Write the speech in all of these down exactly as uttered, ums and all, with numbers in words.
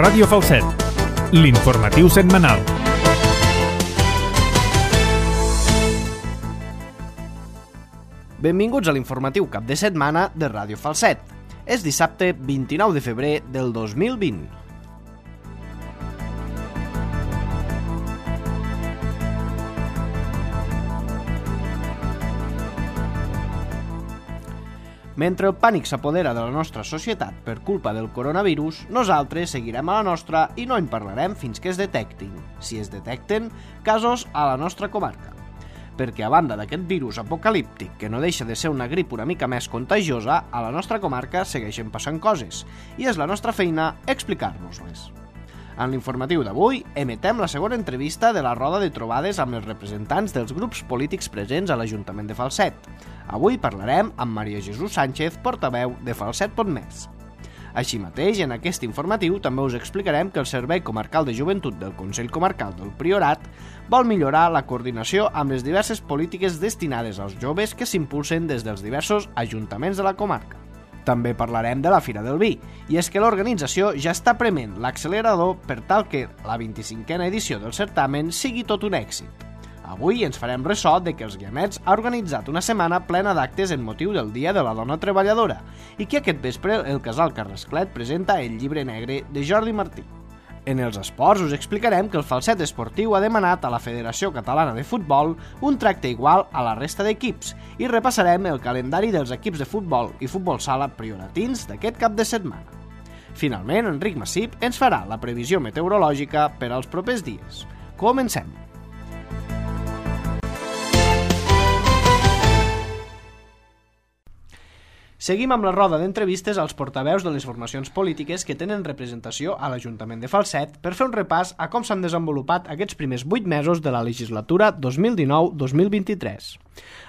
Ràdio Falset, l'informatiu setmanal. Benvinguts a l'informatiu cap de setmana de Ràdio Falset. És dissabte vint-i-nou de febrer del dos mil vint. Mentre el pànic s'apodera de la nostra societat per culpa del coronavirus, nosaltres seguirem a la nostra i no en parlarem fins que es detectin, si es detecten, casos a la nostra comarca. Perquè a banda d'aquest virus apocalíptic que no deixa de ser una grip una mica més contagiosa, a la nostra comarca segueixen passant coses, i és la nostra feina explicar-nos-les. En l'informatiu d'avui, emetem la segona entrevista de la roda de trobades amb els representants dels grups polítics presents a l'Ajuntament de Falset. Avui parlarem amb Maria Jesús Sánchez, portaveu de Falset Pot Més. Així mateix, en aquest informatiu també us explicarem que el Servei Comarcal de Joventut del Consell Comarcal del Priorat vol millorar la coordinació amb les diverses polítiques destinades als joves que s'impulsen des dels diversos ajuntaments de la comarca. També parlarem de la Fira del Vi, i és que l'organització ja està prement l'accelerador per tal que la vint-i-cinquena edició del certamen sigui tot un èxit. Avui ens farem ressò de que els Guiamets ha organitzat una setmana plena d'actes en motiu del Dia de la Dona Treballadora i que aquest vespre el Casal Carrasclet presenta el Llibre Negre de Jordi Martí. En els esports us explicarem que el Falset Esportiu ha demanat a la Federació Catalana de Futbol un tracte igual a la resta d'equips i repassarem el calendari dels equips de futbol i futbol sala prioratins d'aquest cap de setmana. Finalment, Enric Massip ens farà la previsió meteorològica per als propers dies. Comencem! Seguim amb la roda d'entrevistes als portaveus de les formacions polítiques que tenen representació a l'Ajuntament de Falset per fer un repàs a com s'han desenvolupat aquests primers vuit mesos de la legislatura dos mil dinou dos mil vint-i-tres.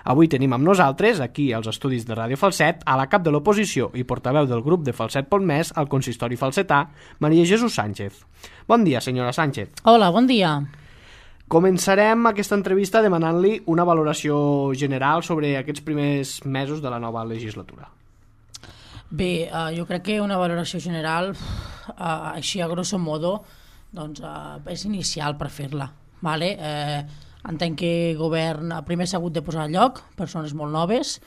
Avui tenim amb nosaltres, aquí als estudis de Ràdio Falset, a la cap de l'oposició i portaveu del grup de Falset Pot Més al consistori falsetà, Maria Jesús Sánchez. Bon dia, senyora Sánchez. Hola, bon dia. Començarem aquesta entrevista demanant-li una valoració general sobre aquests primers mesos de la nova legislatura. Bé, uh, jo crec que una valoració general, uh, així a grosso modo, doncs, uh, és inicial per fer-la. Vale? Eh, entenc que el govern primer s'ha hagut de posar a lloc, persones molt noves,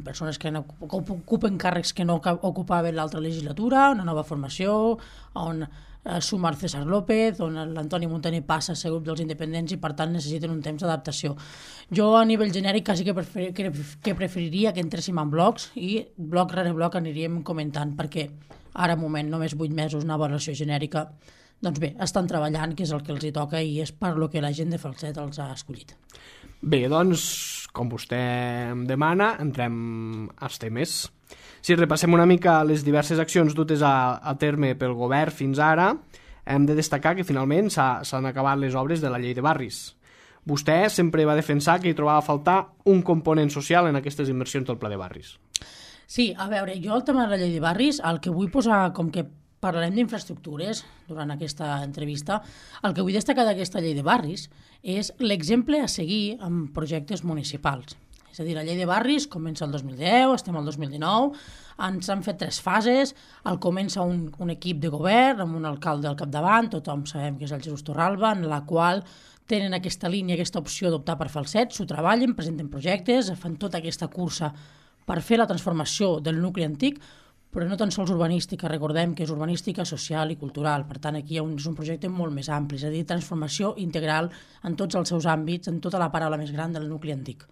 persones que no ocupen càrrecs que no ocupaven l'altra legislatura, una nova formació, on eh, sumar César López, on l'Antoni Montaner passa a ser grup dels independents i per tant necessiten un temps d'adaptació. Jo a nivell genèric quasi que, prefer, que, que preferiria que entréssim en blocs i bloc rere bloc aniríem comentant perquè ara, moment, només vuit mesos, una valoració genèrica, doncs bé, estan treballant, que és el que els hi toca i és per lo que la gent de Falset els ha escollit. Bé, doncs, com vostè em demana, entrem als temes. Si repassem una mica les diverses accions dutes a, a terme pel govern fins ara, hem de destacar que finalment s'han acabat les obres de la llei de barris. Vostè sempre va defensar que hi trobava a faltar un component social en aquestes inversions del pla de barris. Sí, a veure, jo el tema de la llei de barris, el que vull posar, com que parlarem d'infraestructures durant aquesta entrevista, el que vull destacar d'aquesta llei de barris és l'exemple a seguir amb projectes municipals. És a dir, la llei de barris comença el dos mil deu, estem al dos mil dinou, ens han fet tres fases, el comença un, un equip de govern amb un alcalde al capdavant, tothom sabem que és el Jesús Torralba, en la qual tenen aquesta línia, aquesta opció d'optar per Falset, s'ho treballen, presenten projectes, fan tota aquesta cursa per fer la transformació del nucli antic, però no tan sols urbanística, recordem que és urbanística, social i cultural, per tant aquí és un projecte molt més ampli, és a dir, transformació integral en tots els seus àmbits, en tota la paraula més gran del nucli antic.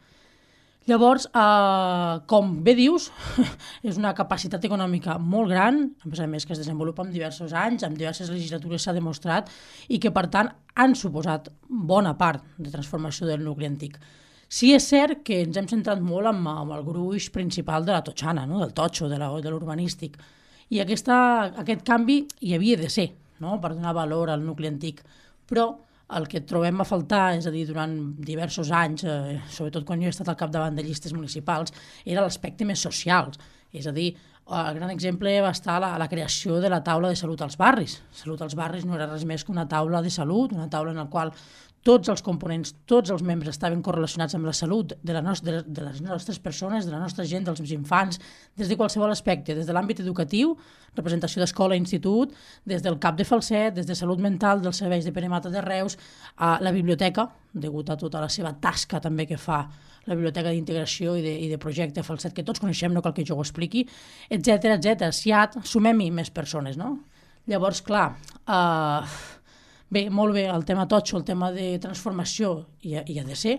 Llavors, eh, com bé dius, és una capacitat econòmica molt gran, a més a més que es desenvolupa en diversos anys, en diverses legislatures s'ha demostrat, i que per tant han suposat bona part de transformació del nucli antic. Sí és cert que ens hem centrat molt en, en el gruix principal de la totxana, no? Del totxo, de l'urbanístic, i aquesta, aquest canvi hi havia de ser, no? Per donar valor al nucli antic, però el que trobem a faltar, és a dir, durant diversos anys, eh, sobretot quan jo he estat al capdavant de llistes municipals, era l'aspecte més social. És a dir, el gran exemple va estar la, la creació de la taula de salut als barris. Salut als barris no era res més que una taula de salut, una taula en la qual tots els components, tots els membres estaven correlacionats amb la salut de, la nostra, de les nostres persones, de la nostra gent, dels infants, des de qualsevol aspecte, des de l'àmbit educatiu, representació d'escola i institut, des del CAP de Falset, des de salut mental, dels serveis de Peremata de Reus, a la biblioteca, degut a tota la seva tasca també que fa la biblioteca d'integració i, de, i de projecte Falset, que tots coneixem, no cal que jo ho expliqui, etcètera, etcètera. Si ha, sumem-hi més persones, no? Llavors, clar, eh, bé, molt bé, el tema totxo, el tema de transformació hi ha, hi ha de ser,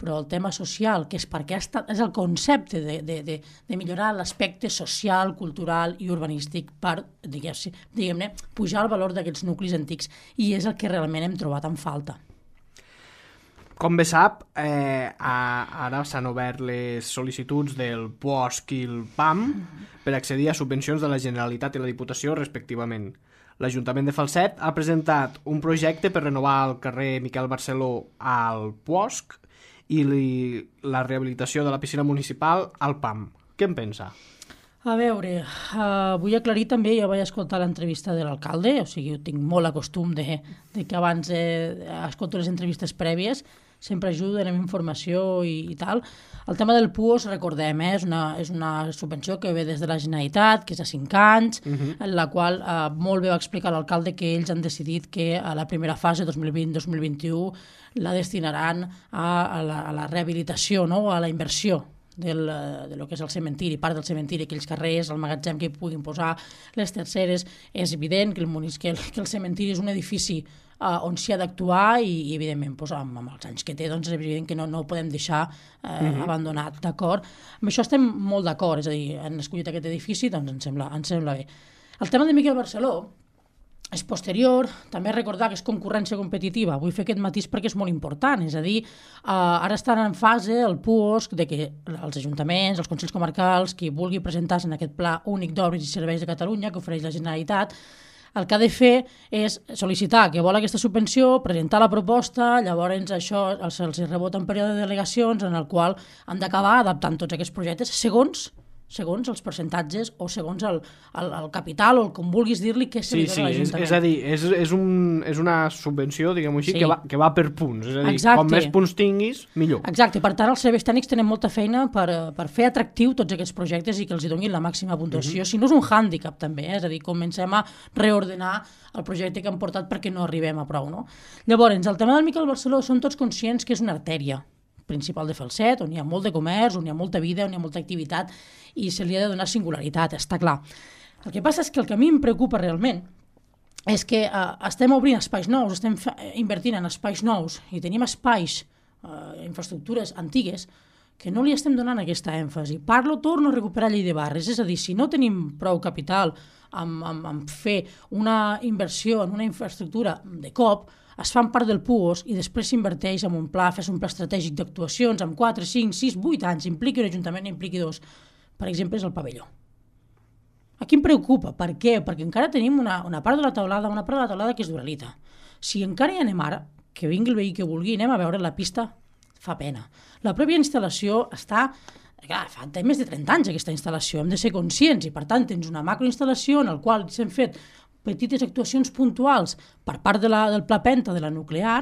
però el tema social, que és perquè ha estat, és el concepte de, de, de, de millorar l'aspecte social, cultural i urbanístic per, diguem-ne, diguem pujar el valor d'aquests nuclis antics, i és el que realment hem trobat en falta. Com bé sap, eh, ara s'han obert les sol·licituds del P O S C i el P A M per accedir a subvencions de la Generalitat i la Diputació, respectivament. L'Ajuntament de Falset ha presentat un projecte per renovar el carrer Miquel Barceló al P O S C i li, la rehabilitació de la piscina municipal al P A M. Què en pensa? A veure, uh, vull aclarir també, jo vaig escoltar l'entrevista de l'alcalde, o sigui, jo tinc molt a costum de, de que abans eh, escolto les entrevistes prèvies, sempre ajuden amb informació i, i tal. El tema del P U O S, recordem, eh, és, una, és una subvenció que ve des de la Generalitat, que és a cinc anys, uh-huh. en la qual eh, molt bé va explicar l'alcalde que ells han decidit que a la primera fase, dos mil vint dos mil vint-i-u, la destinaran a, a, la, a la rehabilitació, no?, a la inversió del, de lo que és el cementiri, part del cementiri, aquells carrers, el magatzem que hi puguin posar, les terceres. És evident que el, que el, que el cementiri és un edifici Uh, on s'hi ha d'actuar i, i evidentment, doncs, amb, amb els anys que té, doncs, és evident que no, no ho podem deixar uh, uh-huh. abandonat, d'acord? Amb això estem molt d'acord, és a dir, han escollit aquest edifici, doncs ens sembla, ens sembla bé. El tema de Miquel Barceló és posterior, també recordar que és concurrència competitiva, vull fer aquest matís perquè és molt important, és a dir, uh, ara estan en fase el P U O S C de que els ajuntaments, els consells comarcals, qui vulgui presentar-se en aquest Pla Únic d'Obres i Serveis de Catalunya que ofereix la Generalitat, el que ha de fer és sol·licitar que vol aquesta subvenció, presentar la proposta, llavors això se'ls rebota un període de delegacions en el qual han d'acabar adaptant tots aquests projectes segons segons els percentatges o segons el, el, el capital o el com vulguis dir-li que se li sí, dona a l'Ajuntament. l'Ajuntament. És a dir, és, és, un, és una subvenció, diguem-ho així, Sí. que, va, que va per punts. És a dir, Exacte. com més punts tinguis, millor. Exacte, per tant els serveis tècnics tenen molta feina per, per fer atractiu tots aquests projectes i que els hi donin la màxima puntuació, uh-huh. si no és un hàndicap també, eh? És a dir, comencem a reordenar el projecte que han portat perquè no arribem a prou, no? Llavors, el tema del Miquel Barceló són tots conscients que és una artèria principal de Falset, on hi ha molt de comerç, on hi ha molta vida, on hi ha molta activitat i se li ha de donar singularitat, està clar. El que passa és que el que a mi em preocupa realment és que eh, estem obrint espais nous, estem invertint en espais nous i tenim espais, eh, infraestructures antigues que no li estem donant aquesta èmfasi. Parlo, torno a recuperar Llei de Barris, és a dir, si no tenim prou capital amb, amb, amb fer una inversió en una infraestructura de cop, es fan part del P U O S i després s'inverteix en un pla, fes un pla estratègic d'actuacions amb quatre, cinc, sis, vuit anys, impliqui un ajuntament, impliqui dos. Per exemple, és el pavelló. Aquí em preocupa. Per què? Perquè encara tenim una, una part de la taulada, una part de la taulada que és d'uralita. Si encara hi anem ara, que vingui el veí que vulgui, anem a veure la pista, fa pena. La pròpia instal·lació està... Clar, fa més de trenta anys aquesta instal·lació, hem de ser conscients i per tant tens una macroinstal·lació en la qual s'han fet petites actuacions puntuals per part de la, del pla Penta de la nuclear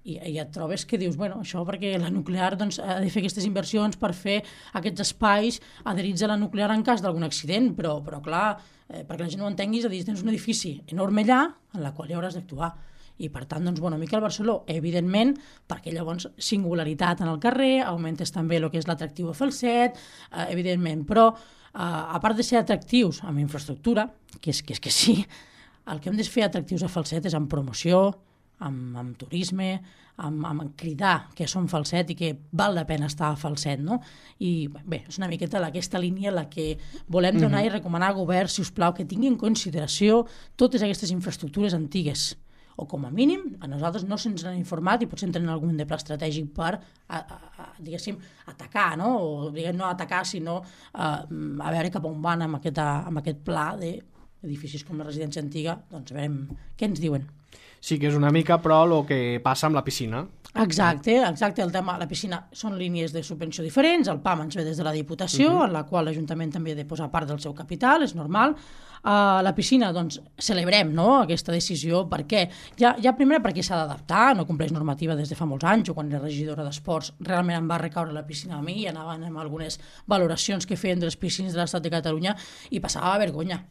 i, i et trobes que dius, bueno, això perquè la nuclear doncs, ha de fer aquestes inversions per fer aquests espais adherits a la nuclear en cas d'algun accident, però, però clar, eh, perquè la gent no ho entengui, és a dir, tens un edifici enorme allà en la qual hi hauràs d'actuar. I per tant, doncs, bueno, Miquel Barceló, evidentment, perquè llavors singularitat en el carrer, augmentes també el que és l'atractiu a Falset, eh, evidentment, però eh, a part de ser atractius amb infraestructura, que és que, és que sí, el que hem de fer atractius a Falset és amb promoció, amb, amb turisme, amb, amb cridar que som Falset i que val la pena estar a Falset, no? I bé, és una miqueta aquesta línia la que volem donar mm-hmm. i recomanar al govern, si us plau, que tingui en consideració totes aquestes infraestructures antigues, o com a mínim, a nosaltres no se'ns han informat i potser entren en algun de pla estratègic per, a, a, a, diguéssim, atacar, no? O diguem, no atacar, sinó a, a veure cap on van amb, aquesta, amb aquest pla de edificis com la residència antiga, doncs veurem què ens diuen. Sí que és una mica, però, el que passa amb la piscina. Exacte, exacte. El tema, la piscina són línies de subvenció diferents, el P A M ens ve des de la Diputació, uh-huh. en la qual l'Ajuntament també ha de posar part del seu capital, és normal. Uh, la piscina, doncs, celebrem, no?, aquesta decisió, perquè ja, ja primer perquè s'ha d'adaptar, no compleix normativa des de fa molts anys, o quan era regidora d'esports realment em va recaure la piscina a mi i anaven amb algunes valoracions que feien de les piscines de l'estat de Catalunya i passava vergonya.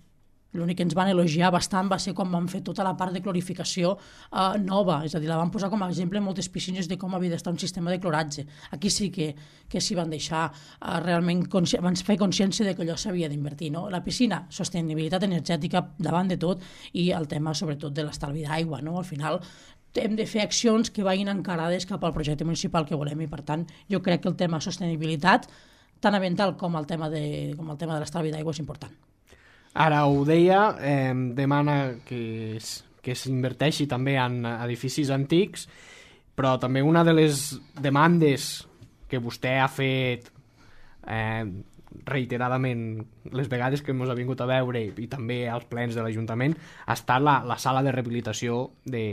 L'únic que ens van elogiar bastant va ser quan van fer tota la part de clorificació uh, nova, és a dir, la van posar com a exemple moltes piscines de com havia d'estar un sistema de cloratge. Aquí sí que, que s'hi van deixar uh, realment, consci... van fer consciència de que allò s'havia d'invertir, no? La piscina, sostenibilitat energètica davant de tot i el tema sobretot de l'estalvi d'aigua, no? Al final hem de fer accions que vagin encarades cap al projecte municipal que volem i per tant jo crec que el tema sostenibilitat, tant ambiental com el tema de, com el tema de l'estalvi d'aigua és important. Ara ho deia, eh, demana que, que s'inverteixi també en edificis antics, però també una de les demandes que vostè ha fet eh, reiteradament les vegades que ens ha vingut a veure i també als plens de l'Ajuntament ha estat la, la sala de rehabilitació de,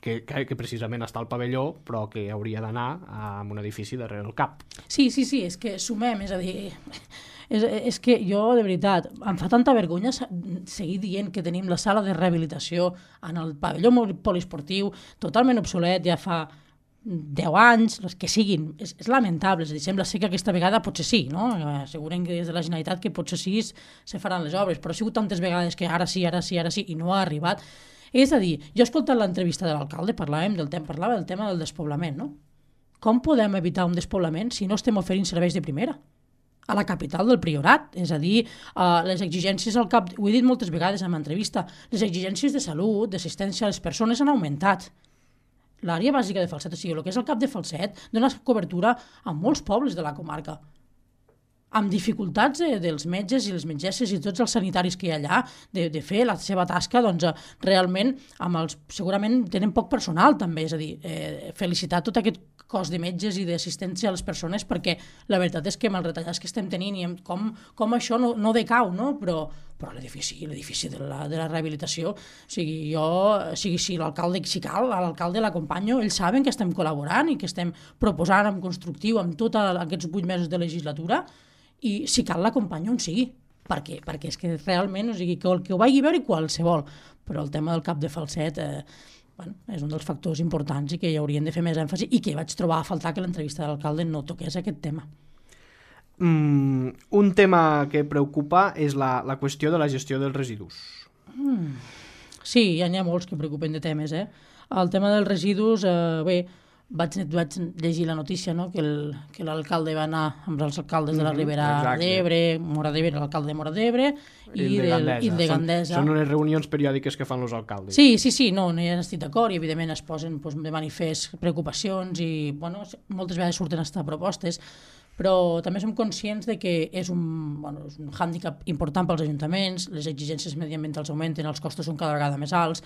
que, que, que precisament està al pavelló però que hauria d'anar a un edifici darrere el cap. Sí, sí, sí, és que sumem, és a dir... És, és que jo, de veritat, em fa tanta vergonya seguir dient que tenim la sala de rehabilitació en el pavelló poliesportiu totalment obsolet, ja fa deu anys, els que siguin. És, és lamentable, és a dir, sembla ser que aquesta vegada potser sí, no? Asseguren que des de la Generalitat que potser sí se faran les obres, però ha sigut tantes vegades que ara sí, ara sí, ara sí, i no ha arribat. És a dir, jo he escoltat l'entrevista de l'alcalde, parlàvem del tema, parlava del tema del despoblament, no? Com podem evitar un despoblament si no estem oferint serveis de primera? A la capital del Priorat, és a dir, uh, les exigències al cap, ho he dit moltes vegades en l'entrevista, les exigències de salut, d'assistència a les persones han augmentat. L'àrea bàsica de Falset, o sigui, el que és el cap de Falset, dona cobertura a molts pobles de la comarca, amb dificultats de, dels metges i les metgesses i tots els sanitaris que hi ha allà, de, de fer la seva tasca, doncs realment amb els, segurament tenen poc personal també, és a dir, eh, felicitar tot aquest cos de metges i d'assistència a les persones perquè la veritat és que amb els retallats que estem tenint i amb com, com això no, no decau, no? Però, però l'edifici, l'edifici de la, de la rehabilitació, o sigui, jo, o sigui, si l'alcalde, si cal, l'alcalde l'acompanyo, ells saben que estem col·laborant i que estem proposant en constructiu amb tots aquests vuit mesos de legislatura i si cal l'acompanyo on sigui. Per què? Perquè és que realment, o sigui, que el que ho vagi a veure qualsevol, però el tema del cap de Falset eh, bueno, és un dels factors importants i que hi haurien de fer més èmfasi i que vaig trobar a faltar que l'entrevista de l'alcalde no toqués aquest tema. Mm, un tema que preocupa és la, la qüestió de la gestió dels residus. Mm. Sí, ja n'hi ha molts que preocupen de temes. Eh? El tema dels residus, eh, bé, vaig, vaig llegir la notícia, no? que el, que l'alcalde va anar amb els alcaldes de la Ribera mm-hmm, d'Ebre, Mora d'Ebre, l'alcde de Mora d'Ebre i, i de Gandesa. Del, i de Gandesa. Són, són unes reunions periòdiques que fan els alcaldes. Sí, sí, sí, no, no hi estic d'acord i evidentment es posen doncs, de manifest preocupacions i bueno, moltes vegades surten hasta propostes, però també som conscients de que és un, bueno, és un hàndicap important pels ajuntaments, les exigències mediambientals augmenten, els costos són cada vegada més alts,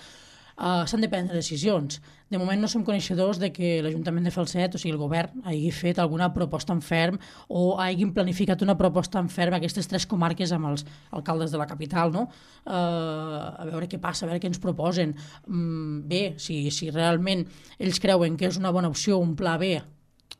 uh, s'han de prendre decisions. De moment no som coneixedors de que l'Ajuntament de Falset, o sigui el govern, hagi fet alguna proposta en ferm o hagin planificat una proposta en ferm a aquestes tres comarques amb els alcaldes de la capital, no? Uh, a veure què passa, a veure què ens proposen. Um, bé, si, si realment ells creuen que és una bona opció un pla B,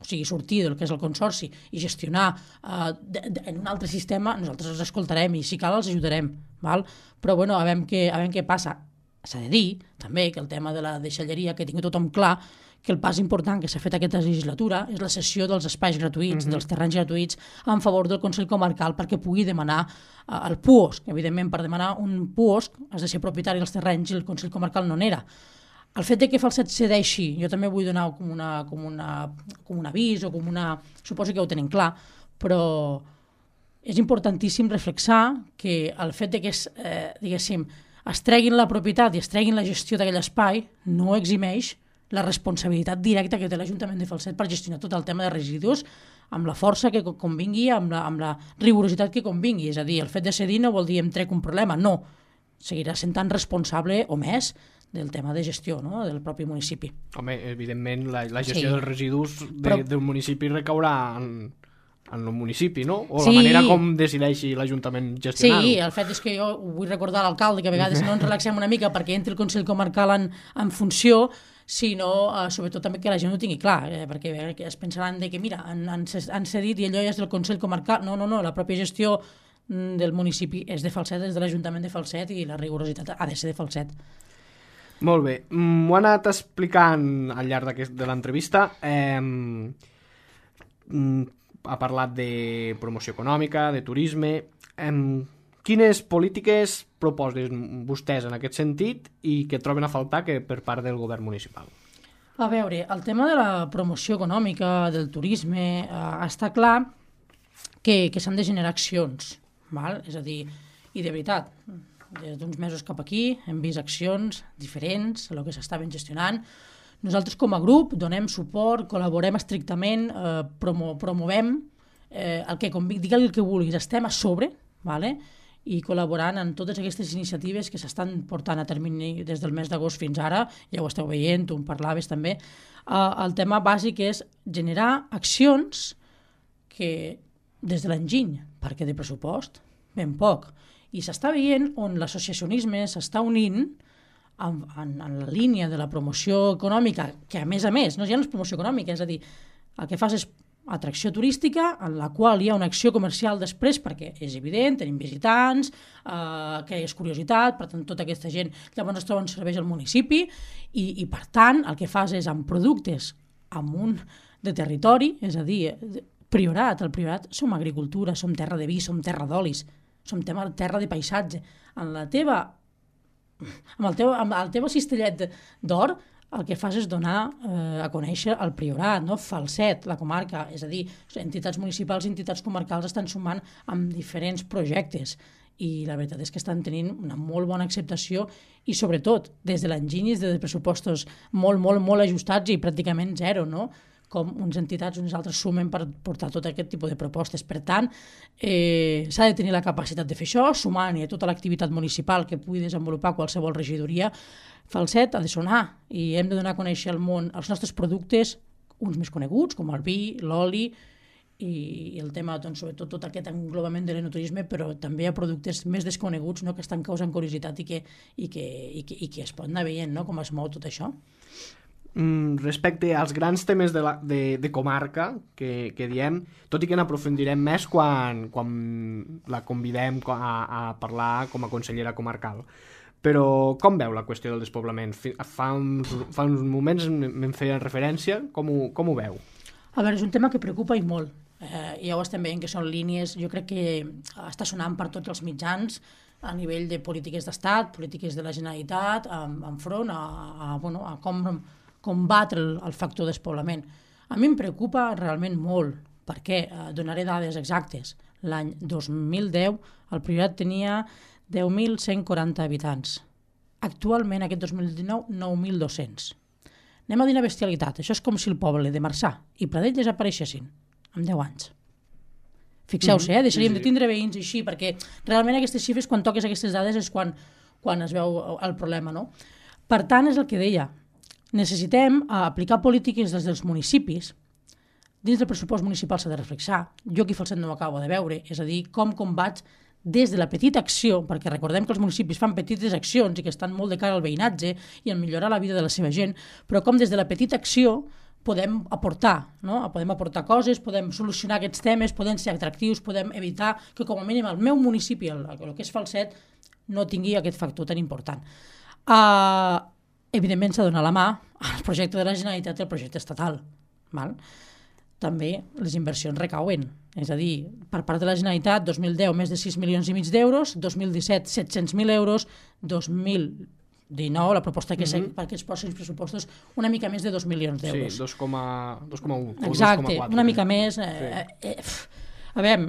o sigui, sortir del que és el consorci i gestionar uh, de, de, en un altre sistema, nosaltres els escoltarem i si cal els ajudarem, val? Però bueno, a veure què, a veure què passa. S'ha de dir també que el tema de la deixalleria, que tingui tothom clar, que el pas important que s'ha fet aquesta legislatura és la cessió dels espais gratuïts, mm-hmm. dels terrenys gratuïts, en favor del Consell Comarcal perquè pugui demanar uh, el P U O S C. Evidentment, per demanar un P U O S C has de ser propietari dels terrenys i el Consell Comarcal no n'era. El fet de que Falset cedeixi, jo també vull donar com, una, com, una, com un avís o com una... Suposo que ho tenen clar, però és importantíssim reflexar que el fet de que es, eh, diguéssim, es treguin la propietat i es treguin la gestió d'aquell espai no eximeix la responsabilitat directa que té l'Ajuntament de Falset per gestionar tot el tema de residus amb la força que convingui, amb la, amb la rigorositat que convingui. És a dir, el fet de cedir no vol dir em trec un problema, no. Seguirà sent tan responsable o més del tema de gestió, no? Del propi municipi. Home, evidentment, la, la gestió sí. dels residus de, Però... del municipi recaurà en, en el municipi, no? O Sí. la manera com decideixi l'Ajuntament gestionar-ho. Sí, el fet és que jo vull recordar a l'alcalde que a vegades no ens relaxem una mica perquè entri el Consell Comarcal en, en funció, sinó eh, sobretot també que la gent ho tingui clar, eh, perquè eh, que es pensaran de que mira, han, han, han cedit i allò ja és del Consell Comarcal. No, no, no, la pròpia gestió mm, del municipi és de Falset, és de l'Ajuntament de Falset i la rigorositat ha de ser de Falset. Molt bé, m'ho ha anat explicant al llarg d'aquest- de l'entrevista. Eh, mm, ha parlat de promoció econòmica, de turisme. Eh, quines polítiques proposen vostès en aquest sentit i que troben a faltar que per part del govern municipal? A veure, el tema de la promoció econòmica, del turisme, eh, està clar que, que s'han de generar accions, val? És a dir, i de veritat, des d'uns mesos cap aquí hem vist accions diferents a el que s'estaven gestionant. Nosaltres com a grup donem suport, col·laborem estrictament, eh, promo, promovem eh, el que convic, digue-li el que vulguis, estem a sobre, vale? I col·laborant en totes aquestes iniciatives que s'estan portant a termini des del mes d'agost fins ara, ja ho esteu veient, tu en parlaves també. Eh, el tema bàsic és generar accions que des de l'enginy, perquè de pressupost, ben poc. I s'està veient on l'associacionisme s'està unint en, en, en la línia de la promoció econòmica, que a més a més, no, ja no és promoció econòmica, és a dir, el que fas és atracció turística, en la qual hi ha una acció comercial després, perquè és evident, tenim visitants, eh, que és curiositat, per tant, tota aquesta gent llavors es troben serveis al municipi, i, i per tant, el que fas és amb productes amunt de territori, és a dir, Priorat, el Priorat som agricultura, som terra de vi, som terra d'olis, som terra de paisatge. En la teva, amb el teu, amb el teu cistellet d'or, el que fas és donar eh, a conèixer el Priorat, no? Falset, la comarca, és a dir, entitats municipals i entitats comarcals estan sumant amb diferents projectes i la veritat és que estan tenint una molt bona acceptació i sobretot des de l'enginy de pressupostos molt, molt, molt ajustats i pràcticament zero, no? Com uns entitats o uns altres sumen per portar tot aquest tipus de propostes. Per tant, eh, s'ha de tenir la capacitat de fer això, sumant-hi a tota l'activitat municipal que pugui desenvolupar qualsevol regidoria. Falset ha de sonar i hem de donar a conèixer al món els nostres productes, uns més coneguts, com el vi, l'oli i el tema, doncs, sobretot tot aquest englobament de l'enoturisme, però també hi ha productes més desconeguts, no?, que estan causant curiositat i que, i que, i que, i que es pot anar veient, no?, com es mou tot això. Mm, respecte als grans temes de, la, de, de comarca que, que diem, tot i que n'aprofundirem més quan, quan la convidem a, a parlar com a consellera comarcal. Però com veu la qüestió del despoblament? Fa uns, fa uns moments me'n feia referència, com ho, com ho veu? A veure, és un tema que preocupa i molt. Eh, ja ho estem veient que són línies, jo crec que està sonant per tots els mitjans a nivell de polítiques d'estat, polítiques de la Generalitat, enfront a, a, bueno, a com combatre el, el factor despoblament. A mi em preocupa realment molt, perquè eh, donaré dades exactes. L'any dos mil deu el Priorat tenia deu mil cent quaranta habitants. Actualment, aquest dos mil dinou, nou mil dos-cents. Anem a dir una bestialitat. Això és com si el poble de Marçà i Pradell desapareixessin en deu anys. Fixeu-se, eh? Deixaríem de tindre veïns així, perquè realment aquestes xifres, quan toques aquestes dades, és quan, quan es veu el problema, no? Per tant, és el que deia. Necessitem aplicar polítiques des dels municipis. Dins del pressupost municipal s'ha de reflexar. Jo aquí Falset no ho acabo de veure. És a dir, com combats des de la petita acció, perquè recordem que els municipis fan petites accions i que estan molt de cara al veïnatge i en millorar la vida de la seva gent, però com des de la petita acció podem aportar, no? Podem aportar coses, podem solucionar aquests temes, podem ser atractius, podem evitar que com a mínim el meu municipi, el, el que és Falset, no tingui aquest factor tan important. Uh, evidentment s'ha de donar la mà al projecte de la Generalitat i al projecte estatal. Val? També les inversions recauen. És a dir, per part de la Generalitat, dos mil deu més de sis milions i mig d'euros, dos mil disset set-cents mil euros, dos mil dinou la proposta que mm-hmm. per aquests pròxims pressupostos una mica més de dos milions d'euros. Sí, dos coma un. Exacte, una mica més. Eh, sí. eh, a veure,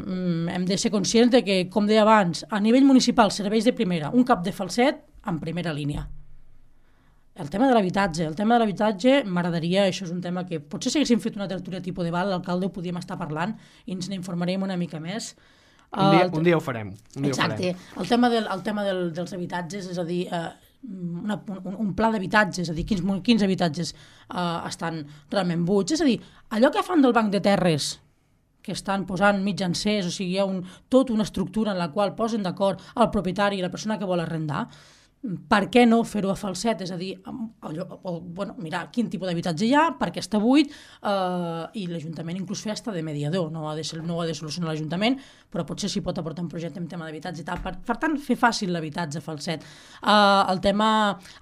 hem de ser conscients de que, com deia abans, a nivell municipal, serveis de primera, un cap de Falset en primera línia. El tema de l'habitatge. El tema de l'habitatge m'agradaria, això és un tema que potser si haguéssim fet una tertúlia tipus de val, l'alcalde ho podíem estar parlant i ens n'informarem una mica més. Un dia, un dia ho farem. Un dia Exacte. Ho farem. El tema, del, el tema del, dels habitatges, és a dir, eh, una, un, un pla d'habitatges, és a dir, quins, quins habitatges eh, estan realment buits. És a dir, allò que fan del banc de terres que estan posant mitjancers, o sigui, hi ha un, tot una estructura en la qual posen d'acord el propietari i la persona que vol arrendar. Per què no fer-ho a falset? És a dir, allò, o, bueno, mirar quin tipus d'habitatge hi ha, per què està buit, eh, i l'Ajuntament inclús fer està de mediador, no ha de, ser, no ha de solucionar l'Ajuntament, però potser s'hi pot aportar un projecte en tema d'habitatge i tal. Per, per tant, fer fàcil l'habitatge a falset. Eh, el, tema,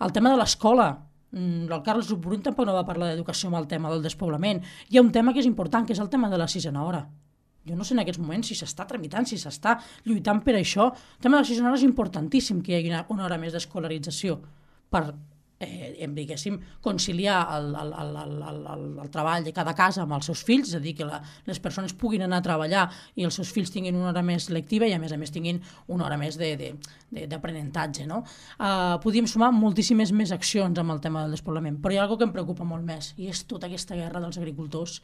el tema de l'escola, el Carles Brun tampoc no va parlar d'educació amb el tema del despoblament. Hi ha un tema que és important, que és el tema de la sisena hora. Jo no sé en aquests moments si s'està tramitant, si s'està lluitant per això. El tema de la sisena hora és importantíssim, que hi hagi una, una hora més d'escolarització per, eh, em diguéssim, conciliar el, el, el, el, el, el treball de cada casa amb els seus fills, és a dir, que la, les persones puguin anar a treballar i els seus fills tinguin una hora més lectiva i a més a més tinguin una hora més d'aprenentatge. No? Uh, podríem sumar moltíssimes més accions amb el tema del despoblament, però hi ha una cosa que em preocupa molt més, i és tota aquesta guerra dels agricultors,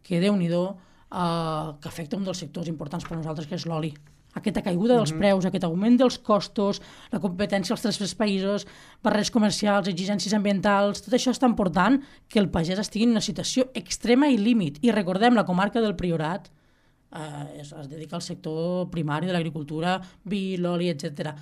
que Déu-n'hi-do, Uh, que afecta un dels sectors importants per a nosaltres, que és l'oli. Aquesta caiguda dels uh-huh. preus, aquest augment dels costos, la competència als tres països, barreres comercials, exigències ambientals, tot això està important que el pagès estigui en una situació extrema i límit. I recordem, la comarca del Priorat uh, es, es dedica al sector primari de l'agricultura, vi, l'oli, etcètera.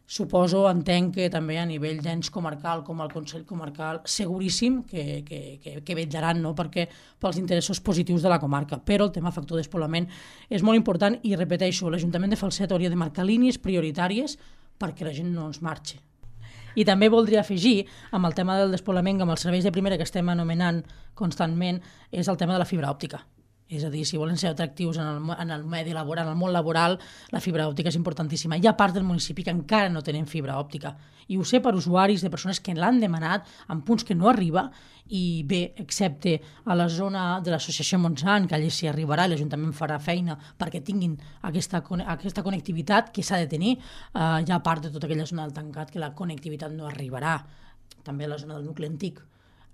Suposo, entenc que també a nivell d'ens comarcal com el Consell Comarcal, seguríssim que, que, que, que vetllaran, no? Perquè pels interessos positius de la comarca. Però el tema factor despoblament és molt important i, repeteixo, l'Ajuntament de Falset hauria de marcar línies prioritàries perquè la gent no ens marxi. I també voldria afegir, amb el tema del despoblament, amb els serveis de primera que estem anomenant constantment, és el tema de la fibra òptica. És a dir, si volen ser atractius en el, en el medi laboral, en el món laboral, la fibra òptica és importantíssima. Hi ha parts del municipi que encara no tenen fibra òptica. I ho sé per usuaris de persones que l'han demanat en punts que no arriba, i bé, excepte a la zona de l'associació Montsant, que allà s'hi arribarà i l'Ajuntament farà feina perquè tinguin aquesta, aquesta connectivitat que s'ha de tenir, eh, hi ha part de tota aquella zona del tancat que la connectivitat no arribarà. També a la zona del nucli antic.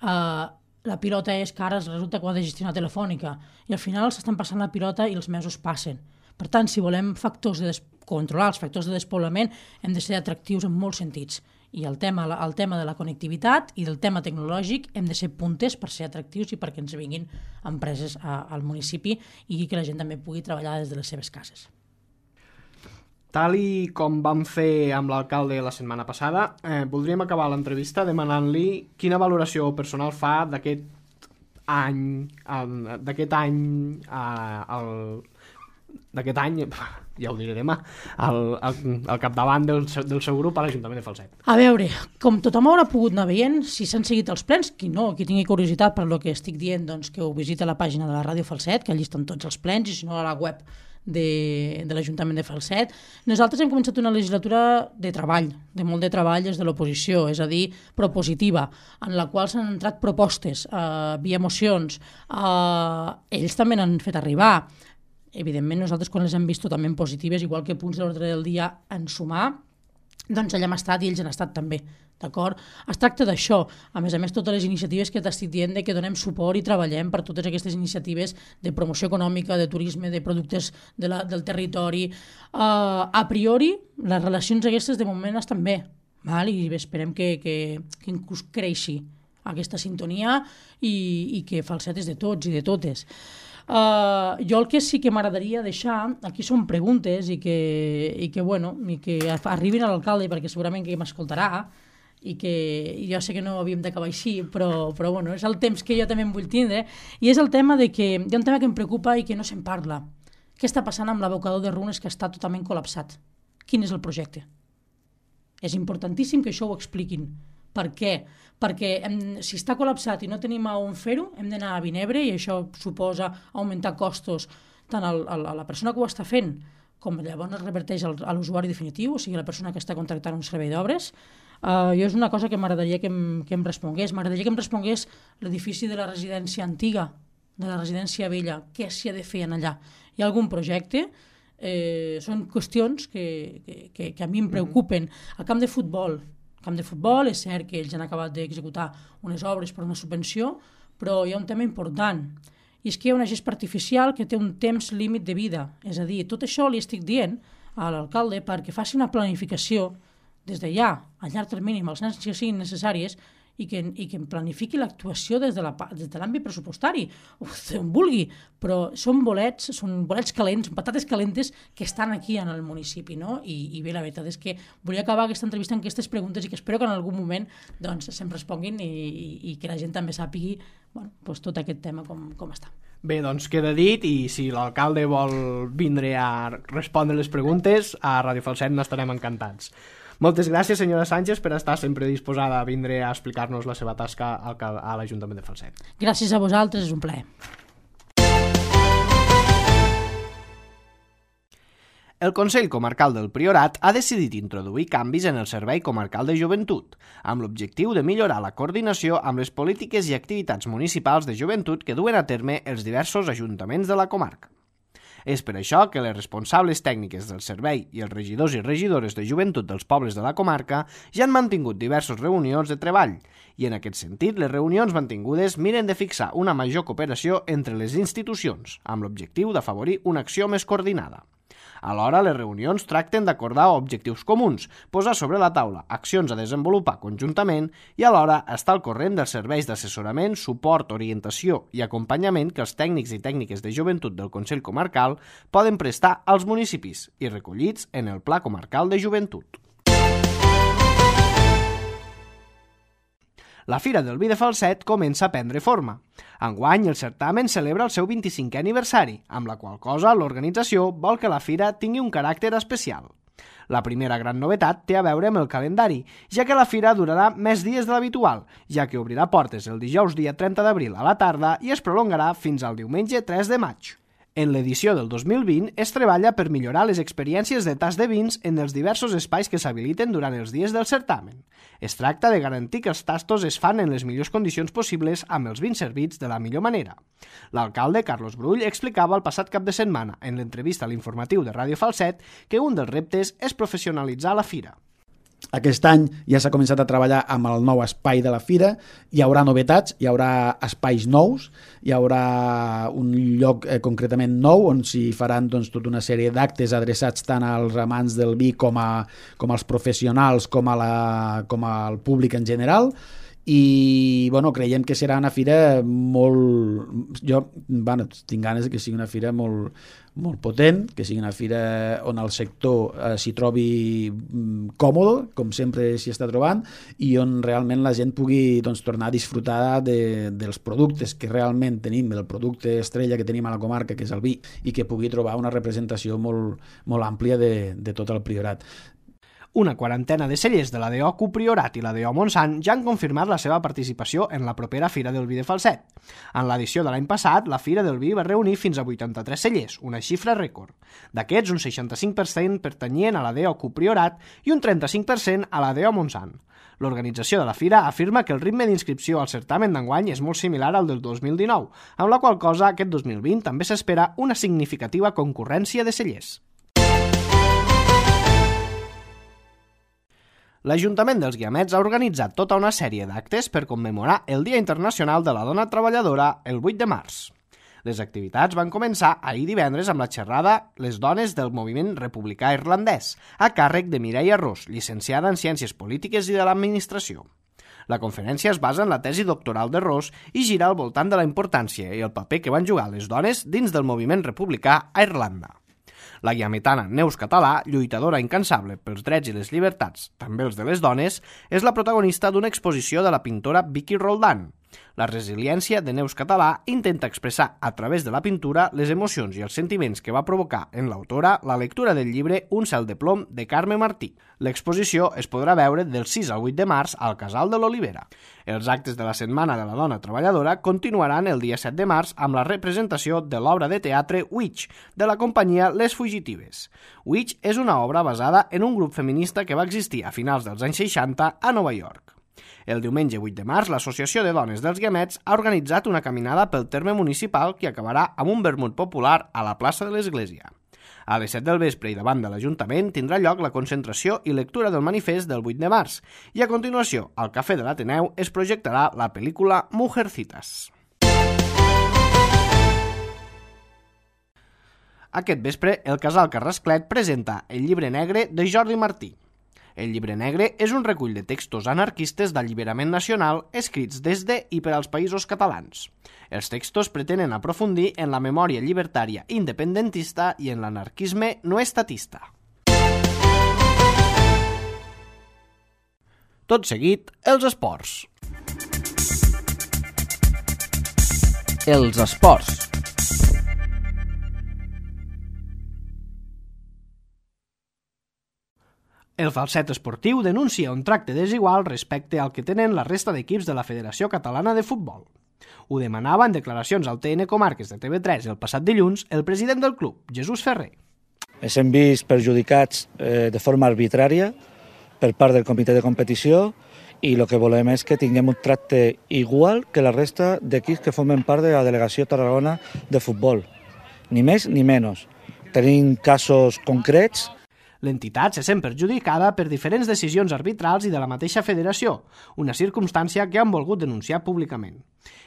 Eh, La pilota és que ara resulta que ho ha de gestionar Telefònica i al final s'estan passant la pilota i els mesos passen. Per tant, si volem factors de des... controlar els factors de despoblament, hem de ser atractius en molts sentits. I el tema, el tema de la connectivitat i del tema tecnològic hem de ser punters per ser atractius i perquè ens vinguin empreses a, al municipi i que la gent també pugui treballar des de les seves cases. Tal i com vam fer amb l'alcalde la setmana passada, eh, voldríem acabar l'entrevista demanant-li quina valoració personal fa d'aquest any, d'aquest any, el, d'aquest any, ja ho diré demà, al, al, al capdavant del, del seu grup a l'Ajuntament de Falset. A veure, com tothom haurà pogut anar veient, si s'han seguit els plens, qui no, qui tingui curiositat per lo que estic dient, doncs que ho visita la pàgina de la Ràdio Falset, que allí estan tots els plens, i si no a la web de, de l'Ajuntament de Falset. Nosaltres hem començat una legislatura de treball, de molt de treball des de l'oposició, és a dir, propositiva, en la qual s'han entrat propostes eh, via mocions. Eh, ells també n'han fet arribar. Evidentment, nosaltres quan les hem vist totalment positives, igual que punts de l'ordre del dia en sumar, doncs allà hem estat i ells han estat també. D'acord? Es tracta d'això. A més a més, totes les iniciatives que t'estic dient de que donem suport i treballem per totes aquestes iniciatives de promoció econòmica, de turisme, de productes de la, del territori. Uh, a priori, les relacions aquestes de moment estan bé, val? I esperem que, que, que inclús creixi aquesta sintonia i, i que Falset és de tots i de totes. Uh, jo el que sí que m'agradaria deixar, aquí són preguntes i que, i que, bueno, i que arribin a l'alcalde perquè segurament que m'escoltarà, i que jo sé que no havíem d'acabar així, però, però bueno, és el temps que jo també em vull tindre, i és el tema de que hi ha un tema que em preocupa i que no se'n parla. Què està passant amb l'abocador de Runes, que està totalment col·lapsat? Quin és el projecte? És importantíssim que això ho expliquin. Per què? Perquè hem, si està col·lapsat i no tenim a on fer-ho, hem d'anar a Vinebre i això suposa augmentar costos tant al, al, a la persona que ho està fent com llavors es reverteix al, a l'usuari definitiu, o sigui, la persona que està contractant un servei d'obres. Uh, jo és una cosa que m'agradaria que em, que em respongués. M'agradaria que em respongués l'edifici de la residència antiga, de la residència vella. Què s'hi ha de fer allà? Hi ha algun projecte? Eh, són qüestions que, que, que a mi em preocupen. El camp de futbol. El camp de futbol és cert que ells han acabat d'executar unes obres per una subvenció, però hi ha un tema important. I és que hi ha una gespa artificial que té un temps límit de vida. És a dir, tot això li estic dient a l'alcalde perquè faci una planificació des de ja, a llarg termini, amb els nens que siguin necessàries, i que, i que planifiqui l'actuació des de la, des de l'àmbit pressupostari, o on vulgui, però són bolets, són bolets calents, patates calentes que estan aquí en el municipi, no? I, i bé, la veritat és que volia acabar aquesta entrevista amb aquestes preguntes i que espero que en algun moment doncs, se'm responguin i, i, i que la gent també sàpigui bueno, doncs tot aquest tema com, com està. Bé, doncs queda dit, i si l'alcalde vol vindre a respondre les preguntes, a Ràdio Falset n'estarem encantats. Moltes gràcies, senyora Sánchez, per estar sempre disposada a vindre a explicar-nos la seva tasca a l'Ajuntament de Falset. Gràcies a vosaltres, és un plaer. El Consell Comarcal del Priorat ha decidit introduir canvis en el Servei Comarcal de Joventut, amb l'objectiu de millorar la coordinació amb les polítiques i activitats municipals de joventut que duen a terme els diversos ajuntaments de la comarca. És per això que les responsables tècniques del servei i els regidors i regidores de joventut dels pobles de la comarca ja han mantingut diverses reunions de treball i en aquest sentit les reunions mantingudes miren de fixar una major cooperació entre les institucions amb l'objectiu d'afavorir una acció més coordinada. Alhora, les reunions tracten d'acordar objectius comuns, posar sobre la taula accions a desenvolupar conjuntament i alhora estar al corrent dels serveis d'assessorament, suport, orientació i acompanyament que els tècnics i tècniques de joventut del Consell Comarcal poden prestar als municipis i recollits en el Pla Comarcal de Joventut. La Fira del Vi de Falset comença a prendre forma. Enguany, el certamen celebra el seu vint-i-cinquè aniversari, amb la qual cosa l'organització vol que la fira tingui un caràcter especial. La primera gran novetat té a veure amb el calendari, ja que la fira durarà més dies de l'habitual, ja que obrirà portes el dijous dia trenta d'abril a la tarda i es prolongarà fins al diumenge tres de maig. En l'edició del dos mil vint es treballa per millorar les experiències de tast de vins en els diversos espais que s'habiliten durant els dies del certamen. Es tracta de garantir que els tastos es fan en les millors condicions possibles amb els vins servits de la millor manera. L'alcalde Carlos Brull explicava el passat cap de setmana en l'entrevista a l'informatiu de Ràdio Falset que un dels reptes és professionalitzar la fira. Aquest any ja s'ha començat a treballar amb el nou espai de la fira, hi haurà novetats, hi haurà espais nous, hi haurà un lloc eh, concretament nou on s'hi faran doncs, tota una sèrie d'actes adreçats tant als amants del vi com, a, com als professionals com, a la, com al públic en general. I bueno, creiem que serà una fira molt... Jo bueno, tinc ganes que sigui una fira molt, molt potent, que sigui una fira on el sector eh, s'hi trobi còmode, com sempre s'hi està trobant, i on realment la gent pugui doncs, tornar a disfrutar de, dels productes que realment tenim, del producte estrella que tenim a la comarca, que és el vi, i que pugui trobar una representació molt, molt àmplia de, de tot el Priorat. Una quarantena de cellers de la D O C U Priorat i la D O Montsant ja han confirmat la seva participació en la propera Fira del Vi de Falset. En l'edició de l'any passat, la Fira del Vi va reunir fins a vuitanta-tres cellers, una xifra rècord. D'aquests, un seixanta-cinc per cent pertanyien a la D O C U Priorat i un trenta-cinc per cent a la D O Montsant. L'organització de la fira afirma que el ritme d'inscripció al certamen d'enguany és molt similar al del dos mil dinou, amb la qual cosa aquest dos mil vint també s'espera una significativa concurrència de cellers. L'Ajuntament dels Guiamets ha organitzat tota una sèrie d'actes per commemorar el Dia Internacional de la Dona Treballadora el vuit de març. Les activitats van començar ahir divendres amb la xerrada Les dones del moviment republicà irlandès, a càrrec de Mireia Ros, llicenciada en Ciències Polítiques i de l'Administració. La conferència es basa en la tesi doctoral de Ros i gira al voltant de la importància i el paper que van jugar les dones dins del moviment republicà a Irlanda. La guiametana Neus Català, lluitadora incansable pels drets i les llibertats, també els de les dones, és la protagonista d'una exposició de la pintora Vicky Roldán. La resiliència de Neus Català intenta expressar a través de la pintura les emocions i els sentiments que va provocar en l'autora la lectura del llibre Un cel de plom de Carme Martí. L'exposició es podrà veure del sis al vuit de març al Casal de l'Olivera. Els actes de la Setmana de la Dona Treballadora continuaran el dia set de març amb la representació de l'obra de teatre Witch, de la companyia Les Fugitives. Witch és una obra basada en un grup feminista que va existir a finals dels anys seixanta a Nova York. El diumenge vuit de març, l'Associació de Dones dels Guiamets ha organitzat una caminada pel terme municipal que acabarà amb un vermut popular a la plaça de l'Església. A les set del vespre i davant de l'Ajuntament tindrà lloc la concentració i lectura del manifest del vuit de març i a continuació, al Cafè de l'Ateneu es projectarà la pel·lícula Mujercitas. Aquest vespre, el Casal Carrasclet presenta El llibre negre de Jordi Martí. El Llibre Negre és un recull de textos anarquistes d'alliberament nacional escrits des de i per als països catalans. Els textos pretenen aprofundir en la memòria llibertària independentista i en l'anarquisme no estatista. Tot seguit, els esports. Els esports. El Falset Esportiu denuncia un tracte desigual respecte al que tenen la resta d'equips de la Federació Catalana de Futbol. Ho demanava en declaracions al T N Comarques de T V tres el passat dilluns el president del club, Jesús Ferrer. Ens hem vist perjudicats eh, de forma arbitrària per part del comitè de competició i el que volem és que tinguem un tracte igual que la resta d'equips que formen part de la delegació Tarragona de futbol. Ni més ni menys. Tenim casos concrets. L'entitat se sent perjudicada per diferents decisions arbitrals i de la mateixa federació, una circumstància que han volgut denunciar públicament.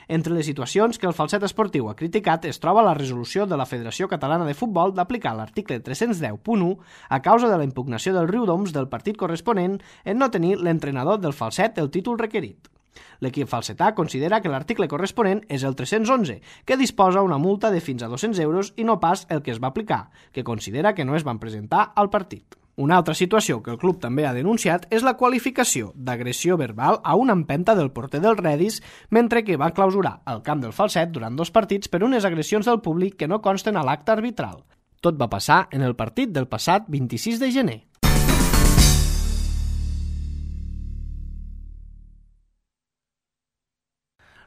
Entre les situacions que el Falset Esportiu ha criticat es troba la resolució de la Federació Catalana de Futbol d'aplicar l'article tres-cents deu punt u a causa de la impugnació del Riudoms del partit corresponent en no tenir l'entrenador del Falset el títol requerit. L'equip falsetà considera que l'article corresponent és el tres-cents onze, que disposa una multa de fins a dos-cents euros i no pas el que es va aplicar, que considera que no es van presentar al partit. Una altra situació que el club també ha denunciat és la qualificació d'agressió verbal a una empenta del porter del Redis mentre que va clausurar el camp del Falset durant dos partits per unes agressions del públic que no consten a l'acte arbitral. Tot va passar en el partit del passat vint-i-sis de gener.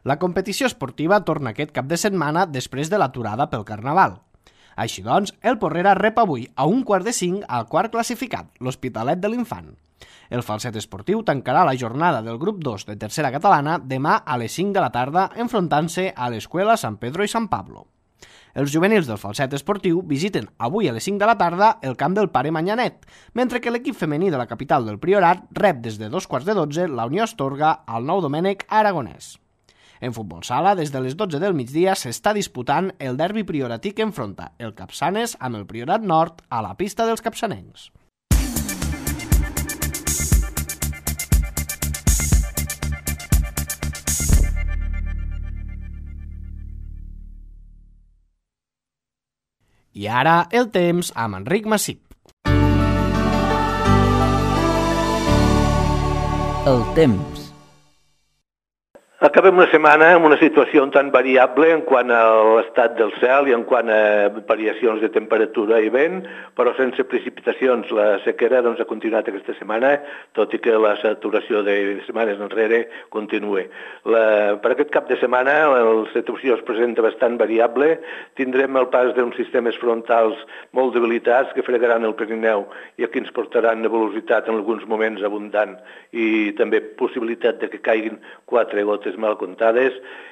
La competició esportiva torna aquest cap de setmana després de l'aturada pel Carnaval. Així doncs, el Porrera rep avui a un quart de cinc al quart classificat, l'Hospitalet de l'Infant. El Falset Esportiu tancarà la jornada del grup dos de tercera catalana demà a les cinc de la tarda enfrontant-se a l'Escuela San Pedro i San Pablo. Els juvenils del Falset Esportiu visiten avui a les cinc de la tarda el camp del Pare Manyanet, mentre que l'equip femení de la capital del Priorat rep des de dos quarts de dotze la Unió Astorga al Nou Domènec Aragonès. En futbol sala, des de les dotze del migdia s'està disputant el derbi prioratí que enfronta el Capçanes amb el Priorat Nord a la pista dels capçanencs. I ara el temps amb Enric Massip. El temps. Acabem una setmana amb una situació tan variable en quant a l'estat del cel i en quant a variacions de temperatura i vent, però sense precipitacions. La sequera doncs, ha continuat aquesta setmana, tot i que la saturació de setmanes enrere continua. La, per aquest cap de setmana la situació es presenta bastant variable. Tindrem el pas d'uns sistemes frontals molt debilitats que fregaran el Pirineu i aquí ens portaran nebulositat en alguns moments abundant i també possibilitat de que caiguin quatre gotes mal comptades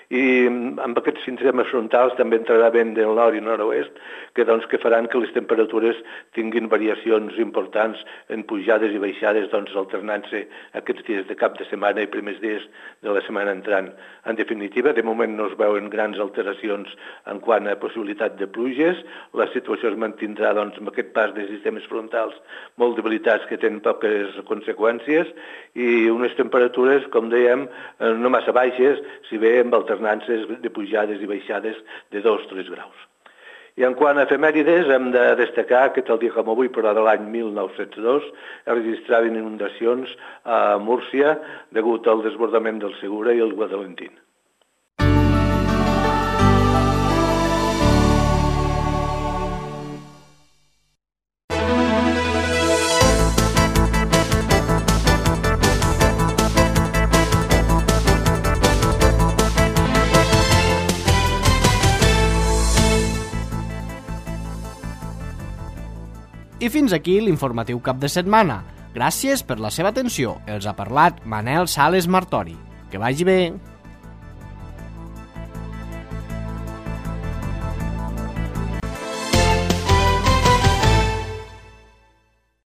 i amb aquests sistemes frontals també entrarà vent del nord i nord-oest que, doncs, que faran que les temperatures tinguin variacions importants en pujades i baixades doncs, alternant-se aquests dies de cap de setmana i primers dies de la setmana entrant. En definitiva, de moment no es veuen grans alteracions en quant a possibilitat de pluges. La situació es mantindrà doncs, amb aquest pas de sistemes frontals molt debilitats que tenen poques conseqüències i unes temperatures, com dèiem, no massa baixes, si bé amb alternances de pujades i baixades de dos a tres graus. I en quant a efemèrides, hem de destacar que tal dia com avui, però de l'any mil nou-cents dos, es registraven inundacions a Múrcia degut al desbordament del Segura i el Guadalentín. I fins aquí l'informatiu cap de setmana. Gràcies per la seva atenció. Els ha parlat Manel Sales Martori. Que vagi bé.